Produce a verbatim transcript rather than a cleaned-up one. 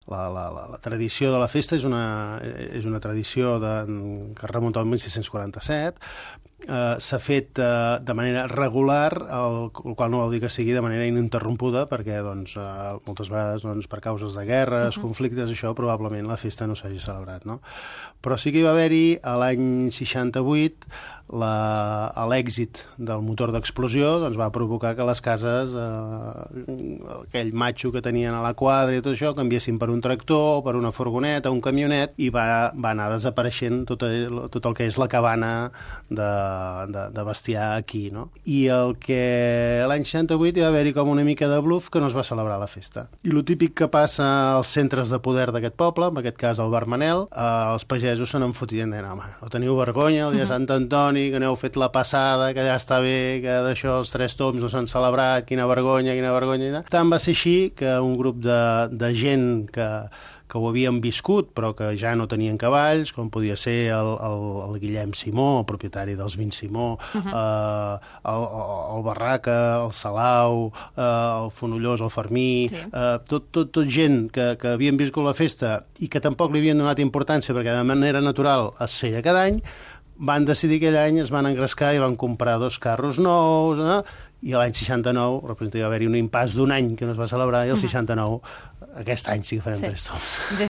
La, la, la, la tradició de la festa és una, és una tradició de, que es remunta al mil sis-cents quaranta-set. Uh, s'ha fet uh, de manera regular, el, el qual no vol dir que sigui de manera ininterrompuda, perquè doncs, uh, moltes vegades doncs, per causes de guerres, uh-huh. conflictes, això probablement la festa no s'hagi celebrat, no? Però sí que hi va haver-hi a l'any seixanta-vuit la, l'èxit del motor d'explosió doncs, va provocar que les cases, eh, aquell matxo que tenien a la quadra i tot això, canviessin per un tractor, per una furgoneta, un camionet, i va, va anar desapareixent tot el, tot el que és la cabana de, de, de bestiar aquí, no? I el que l'any seixanta-vuit hi va haver-hi com una mica de bluff que no es va celebrar la festa. I lo típic que passa als centres de poder d'aquest poble, en aquest cas el Bar Manel, eh, els pagesos se n'enfotien, deien, home, no teniu vergonya el dia de Sant Antoni, que n'heu fet la passada, que ja està bé, que d'això els tres tombs no s'han celebrat, quina vergonya, quina vergonya. Tant va ser així que un grup de, de gent que, que ho havien viscut, però que ja no tenien cavalls, com podia ser el, el, el Guillem Simó, el propietari dels Vins Simó, uh-huh. eh, el, el Barraca, el Salau, eh, el Fonollós, el Fermí, sí. eh, tot, tot, tot gent que, que havien viscut la festa i que tampoc li havien donat importància perquè de manera natural es feia cada any, van decidir aquell any, es van engrescar i van comprar dos carros nous, eh? I l'any seixanta-nou, representa, va haver-hi un impàs d'un any que no es va celebrar, i el seixanta-nou, aquest any sí que farem sí. tres toms.